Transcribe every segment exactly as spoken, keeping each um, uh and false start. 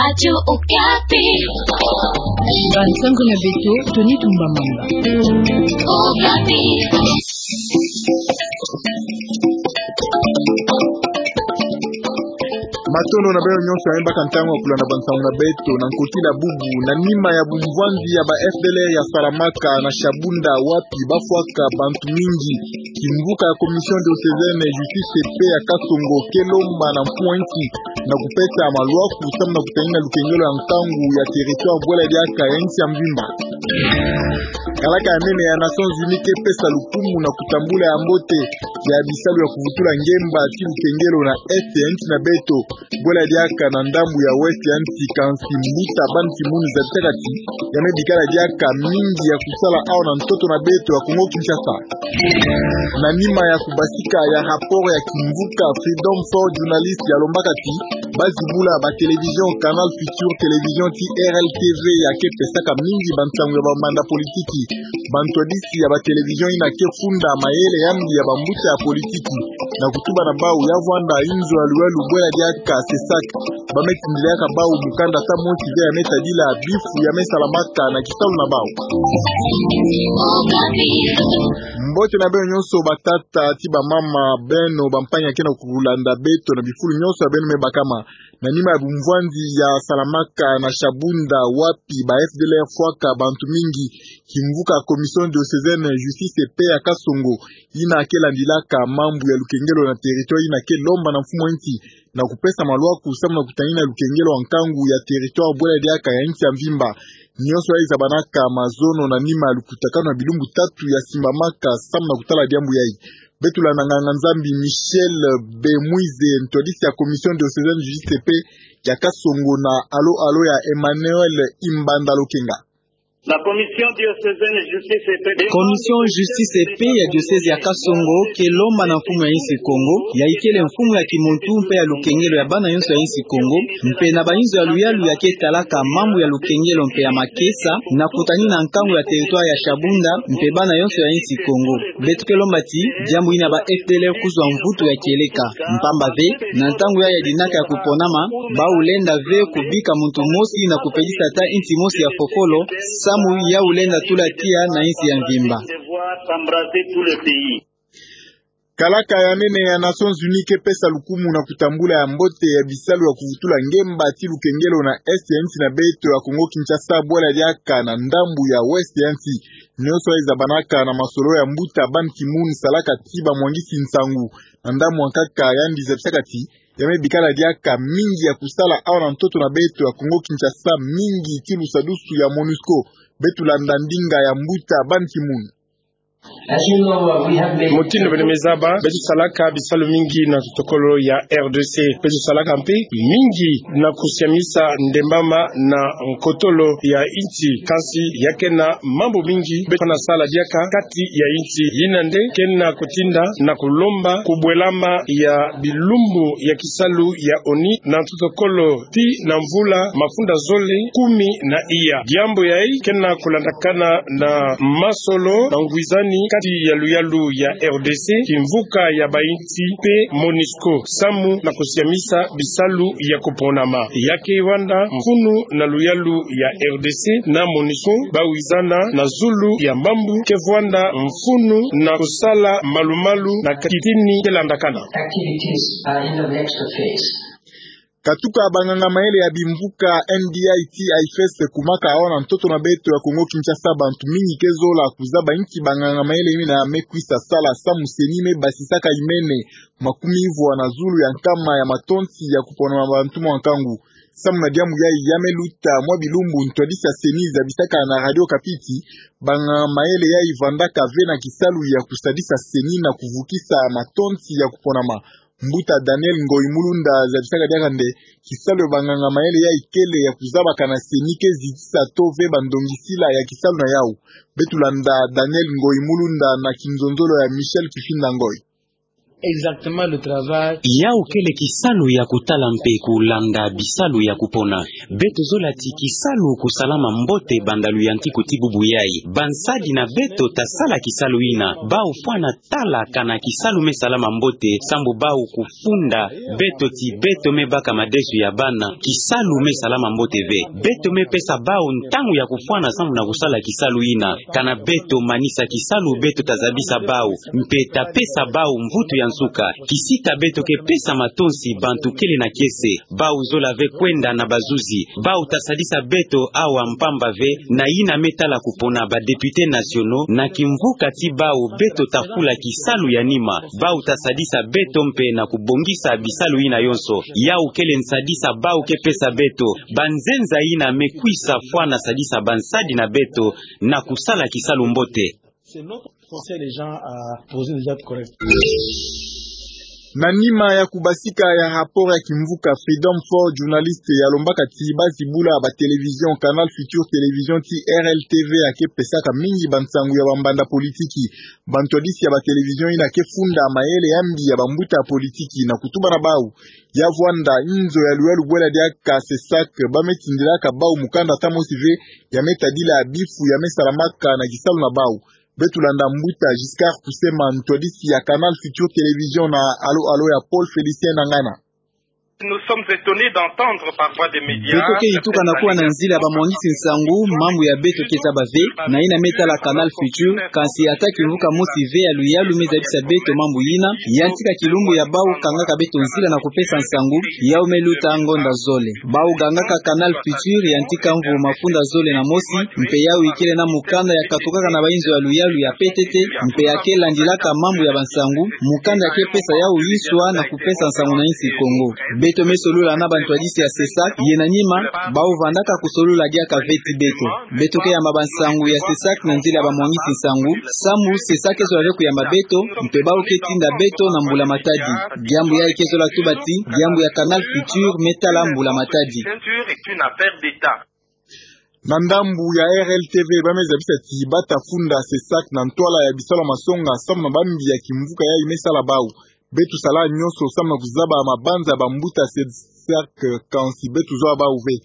Radio Okapi. Bansango na beto, Tony Tumba Mamba. Okapi. Matondo na beno nyonso ya me baka ntangu ya kulanda bansango na beto na nkotila bubu. Na nima ya bumvwanzi ya ba F D L R ya Saramaka na Shabunda, wapi bafwaka bantu mingi, kimvuka ya Commission diocésaine ya Justice et Paix ya Kasongo ke lomba na mfumu a insi na kupesa malwaku samu na kutanina lukengelo ya nkangu ya territoire bwela diaka ya insi ya mvimba. Kalaka ya nene ya Nations Unies ke pesa lukumu na kutambula ya mbote ya bisalu ya kuvutula ngemba ti lukengelo na Est ya insi na beto bwela diaka na ndambu ya Ouest ya insi, kansi mbuta Ban Ki-moon zaba ti ya kati ya me bikala diaka mingi ya kusala awa na ntoto na beto ya Kongo Kinshasa. Na nima ya kubasika ya rapport ya kimvuka Freedom for Journalists ya lombaka ti bazibula ba télévision Canal Futur, télévision ti R L T V ya ke pesaka mingi bansango ya bamanda politiki, bantwadisi ya ba télévision yina ke funda mayele ya mbi ya bambuta ya politiki na kutuba na bau ya vwanda inzo ya luyalu bwela diaka CESAC, ba me tindilaka bau mukanda ta mosi ve ya me tadila bifu ya me salamaka na kisalu na bau. Mbote na beno nyonso, batata ti bamama, beno bampangi ya ke na kulanda beto na bifulu nyonso ya beno me bakama. Na nima ya bumvwanzi ya Saramaka na Shabunda, wapi ba F D L R fwaka bantu mingi, kimvuka Commission diocésaine Justice et Paix ya Kasongo, yina ke landilaka mambu ya lukengelo na territoire, yina ke lomba na mfumu a insi na kupesa malwaku samu na kutanina lukengelo wa nkangu ya territoire bwela diaka ya insi ya mvimba. Nyonso yayi zabanaka mazono na nima ya lukutakanu ya bilumbu tatu ya simbamaka samu na kutala diambu yayi. Beto landa nganga-Nzambi Michel Bemwize, ntwadisi ya Commission diocésaine Justice et Paix ya Kasongo na Alo Alo ya Emmanuel Imbanda Lokenga. La Commission diocésaine Justice et Paix. Commission Justice et Paix ya diocèse ya Kasongo ke lomba na mfumu ya insi Kongo, ya ikele mfumu ya kimuntu mpe ya lukengelo ya bana nyonso ya insi Kongo, mpe na bainzo ya luyalu ya ke talaka mambu ya lukengelo mpe ya makesa, na kutanina nkangu ya territoire ya Shabunda mpe bana nyonso ya insi Kongo. Beto ke lomba ti diambu yina ba F D L R kuzwa mvutu ya kieleka. Mpamba ve, na ntangu yayi ya dinaka ya kuponama, bau lenda ve kubika muntu mosi na kupelisa ata insi mosi ya fofolo, samu yau lenda tula tiya na insi ya mvimba. Kalaka ya nene ya Nations Unies ke pesa lukumu na kutambula ya mbote ya bisalu ya kuvutula ngemba ti lukengelo na Est ya insi na beto ya Kongo Kinshasa, bwela diaka na ndambu ya Ouest ya insi. Nyonso yayi zabanaka na masolo ya mbuta Ban Ki-moon, salaka ti bamwangisi nsangu na ndambu ya nkaka, yandi zabisaka ti ya me bikala diaka mingi ya kusala awa na ntoto na beto ya Kongo Kinshasa, mingi ti lusadusu ya MONUSCO. Beto landa ndinga ya mbuta Ban Ki-moon. Motindo beno me zaba, beto salaka bisalu mingi na totokolo ya R D C. Beto salaka mpe mingi na kusiamisa ndembama na nkotolo ya insi, kansi ya ke na mambu mingi beto fwana sala diaka kati ya insi. Yina nde ke na kutinda na kulomba kubwelama ya bilumbu ya kisalu ya ONU na totokolo tii na mvula mafunda zole kumi na iya. Diambu yayi ke na kulandakana na masolo na ngwizani kati ya luyalu ya R D C, kimvuka ya bainsi mpe MONUSCO, samu na kusiamisa bisalu ya kuponama. Ya ke vanda mfunu na luyalu ya R D C na MONUSCO, ba wizana na zulu ya mambu ke vwanda mfunu na kusala malu-malu na kitini ke landakana. Activities are in the next phase. Katuka banganga mayele ya bimvuka N D I T I F S kumaka awa na ntoto na beto ya Kongo Kinshasa, bantu mingi ke zola kuzaba inki banganga mayele yina me kwisa sala samu CENI me basisaka imene makumi ivwa na zulu ya nkama ya matonsi ya kupona mabantu mwa nkangu. Samu na diambu yayi, ya me luta mwa bilumbu, ntwadisi ya CENI zabisaka na Radio Okapi ti banganga mayele yayi vandaka ve na kisalu ya kusadisa CENI na kuvukisa matonsi ya kuponama. Mbuta Daniel Ngoyi Mulunda zabisaka diaka nde kisalu ya banganga mayele yayi kele ya kuzabaka na CENI ke zitisa to ve bandongisila ya kisalu na yau. Beto landa Daniel Ngoyi Mulunda na kinzonzolo ya Michel Kifinda Ngoyi. Exactement le travail. Yawu kele kisalu ya kutala mpe kulanda bisalu ya kupona. Beto zola ti kisalu kusalama mbote banda luyantiku ti bubu yayi. Bansadi na beto tasala kisalu yina. Bawu fwana tala kana kisalu me salama mbote, sambu bawu kufunda beto ti beto me baka madesu ya bana. Kisalu me salama mbote ve. Beto me pesa bawu ntangu ya kufwana sambu na kusala kisalu yina. Kana beto manisa kisalu, beto tazabisa bawu, mpe tapesa bawu mvutu ya nsuka. Kisita beto ke pesa matonsi bantu kele na kiese. Bawu zola ve kwenda na bazuzi. Bawu tasadisa beto awa mpamba ve, na yina me tala kupona ba députés nationaux, na kimvuka ti bawu beto tafula kisalu ya nima. Bawu tasadisa beto mpe na kubongisa bisalu yina yonso. Yawu kele nsadisa bawu ke pesa beto. Banzenza yina me kwisa fwana sadisa bansadi na beto na kusala kisalu mbote. C'est notre conseil, les gens à poser des actes corrects. Na nima ya kubasika ya rapport ya kimvuka Freedom Force, journaliste ya lombaka ti bazibula ba télévision, Canal Futur Télévision ti R L T V, ya ke pesaka mingi bansangu ya bambanda politiki. Bantwadisi ya ba télévision yina ke funda mayele ya mbi ya bambuta politiki na kutuba na bawu. Ya vwanda inzo ya luyalu bwela diaka CESAC, ba me tindilaka bawu mukanda ata mosi ve ya me tadila bifu ya me salamaka na kisalu na bawu. Beto landa mbuta Giscard Kusema, ntwadisi ya Canal Futur Télévision, na alo alo ya Paul Félicien Nangana. Nous sommes étonnés d'entendre par voie des médias. Beto ke yituka na kuwa na nzila ya bamwangisi nsangu, mambu ya beto ke zaba ve, na yina me tala Canal Futur, kansi ata kimvuka mosi ve ya luyalu me zabisa beto mambu yina. Yantika kilumbu ya bawu kangaka beto nzila na kupesa nsangu, yawu me luta ngonda zole. Bawu gangaka Canal Futur yantika mvu mafunda zole na mosi, mpe yawu ikele na mukanda ya katukaka na bainzo ya luyalu ya P T T, mpe ya ke landilaka mambu ya bansangu, mukanda ya ke pesa yawu yiswa na kupesa nsangu na insi Kongo. Beto me solola na bantwadisi ya CESAC, ye na nima, bawu vandaka kusolula diaka ve ti beto. Beto ke yamba bansangu ya CESAC na nzila ya bamwangisi nsangu, sambu CESAC ke zola ve kuyamba beto, mpe bawu ke tinda beto na mbula matadi. Diambu yayi ke zola tuba ti diambu ya Canal Futur me tala mbula matadi. Ceinture est une affaire d'État. Na ndambu ya R L T V, ba me zabisa ti ba ta funda CESAC na ntwala ya bisalu ya masonga, sambu na bambi ya kimvuka yayi me sala bawu. Beto sala nyonso sambu na kuzaba mabanza ya bambuta CESAC, kansi beto zwa bawu ve.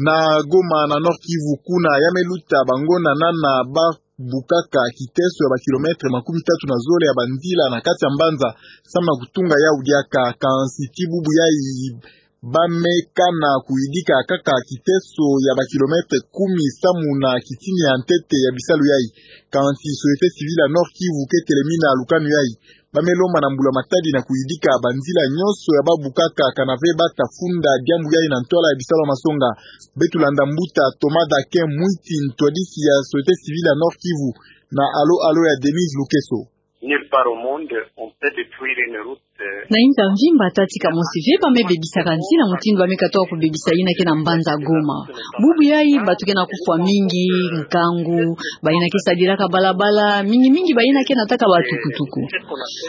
Na Goma, na Nord-Kivu, kuna ya me luta bangonana na ba bukaka kiteso ya ba kilomètre makumi tatu na zole ya banzila na kati ya mbanza, sambu na kutunga yawu diaka, kansi ti bubu yayi ba me kana kuyidika kaka kiteso ya ba kilomètre kumi samu na kitini ya ntete ya bisalu yayi. Kansi société civile ya Nord-Kivu ke telemina lukanu yayi. Ba me lomba na mbula matadi na kuyidika banzila nyonso ya ba bukaka, kana ve ba ta funda diambu yayi na ntwala ya bisalu ya masonga. Beto landa mbuta Thomas Dakin Mwiti, ntwadisi ya société civile ya Nord-Kivu, na alo alo ya Denise Lukeso. Nulle part au monde on peut détruire une route, euh. Na inza mvimba ata tika mosi ve ba me bebisaka nzila mutindu ba me katuka kubebisa yina ke na mbanza Goma. Bubu yayi bato ke na kufwa mingi, nkangu, bayina ke sadilaka balabala, mingi mingi bayina ke nataka ba tukutuku.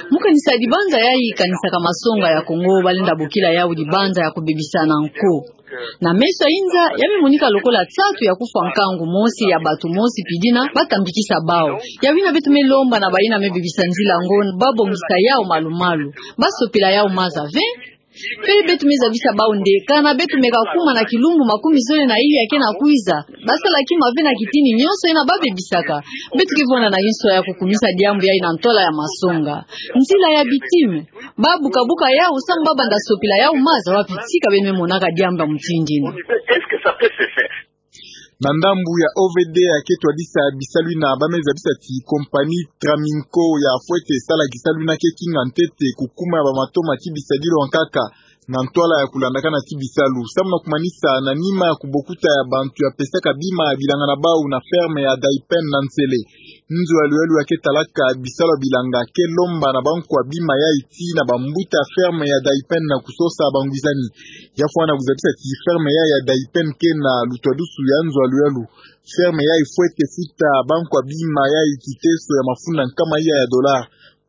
Mu kanisa dibanza yayi kanisaka masonga ya Kongo, ba lenda bokila yawu dibanza ya kubebisana nko. Na meso ya inza, ya me monika lokola nsatu ya kufwa nkangu mosi ya bato mosi pidina ba tambikisa bawu. Yawu yina beto me lomba na bayina me bebisa nzila yango, ba bongisa yawu malu-malu. Ba sopila yawu maza ve. Pele beto me zabisa bawu nde, kana beto meka kuma na kilumbu makumi zole na yili ya ke na kwiza, ba sala kima ve na kitini nyonso yina ba bebisaka. Beto ke vwanda na inso ya kukumisa diambu yayi na ntwala ya masonga. Nzila ya bitime. Ba buka-buka yawu samu ba banda sopila yawu maza, wapi tika beno me monaka diambu ya mutindu yina? Est-ce que ça peut se faire? Na ndambu ya O V D, ya ke twadisa bisalu yina, ba me zabisa ti compagnie Traminco ya fwete sala kisalu yina ke kinga ntete kukuma ya ba matoma ti bisadilu ya nkaka na ntwala ya kulandakana ti bisalu. Samu na kumanisa, na nima ya kubokuta ya bantu ya pesaka bima ya bilanga na bawu na ferme ya Daipen na Nsele, nzo ya luyalu ya ke talaka bisalu ya bilanga ke lomba na bankwa bima yayi tii na bambuta ferme ya Daipen na kusosa bangwizani. Ya fwana kuzabisa ti ferme yayi ya Daipen ke na lutwadusu ya nzo ya luyalu. Ferme yayi fwete futa bankwa bima yayi kiteso ya mafunda nkama iya ya dollar.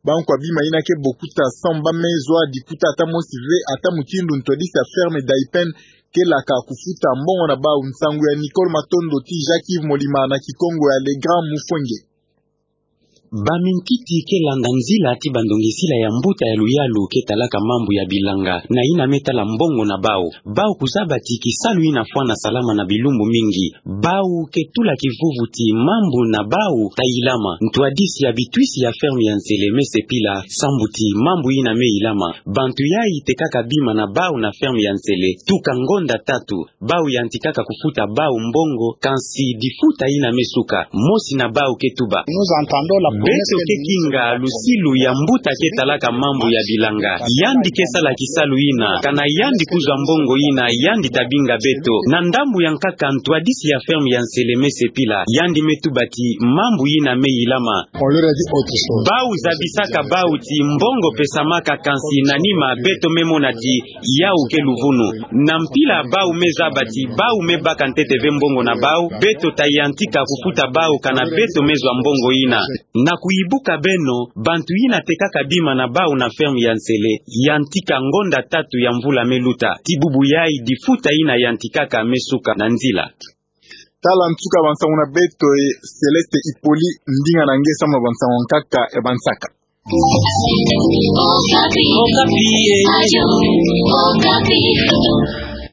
Bankwa bima yina ke bokuta samu ba me zwa dikuta ata mosi ve, ata mutindu ntwadisi ya ferme Daipen ke laka kufuta mbongo na bawu. Nsangu ya Nicole Matondo tii Jacques Yves Molima na Kikongo ya Le Grand Mufwenge. Baminkiti ke landa nzila ti bandongisila ya mbuta ya luyalu ke talaka mambu ya bilanga, na yina me tala mbongo na bau. Bau kuzaba ti kisalu yina fwana salama na bilumbu mingi. Bau ke tula kivuvu ti mambu na bau ta ilama. Ntwadisi ya bitwisi ya ferme ya Nsele me sepila sambu ti mambu yina me ilama. Bantu yayi tekaka bima na bau na ferme ya Nsele tuka ngonda tatu. Bau yantikaka kufuta bau mbongo, kansi difuta yina me suka. Mosi na bau ke tuba: Beto ke kinga lusilu ya mbuta ke talaka mambu ya bilanga. Yandi ke sala kisalu yina. Kana yandi kuzwa mbongo yina, yandi ta binga beto. Na ndambu ya nkaka, ntwadisi ya ferme ya Nsele me sepila. Yandi me tuba ti mambu yina me ilama. Bau zabisaka bau ti mbongo pesamaka, kansi na nima beto me mona ti yau ke luvunu. Na mpila bau me zaba ti bau me baka ntete ve mbongo na bau, beto ta yantika kufuta bau kana beto me zwa mbongo yina. Na kuyibuka beno, bantu yina tekaka bima na bau na ferme ya Nsele yantika ngonda tatu ya mvula me luta. Ti bubu yayi difuta yina yantikaka me suka na nzila. Tala nsuka ya bansangu na beto, e Céleste Hippolyte, ndinga na nge samu na bansangu ya nkaka, e bansaka. Okapi. Okapi.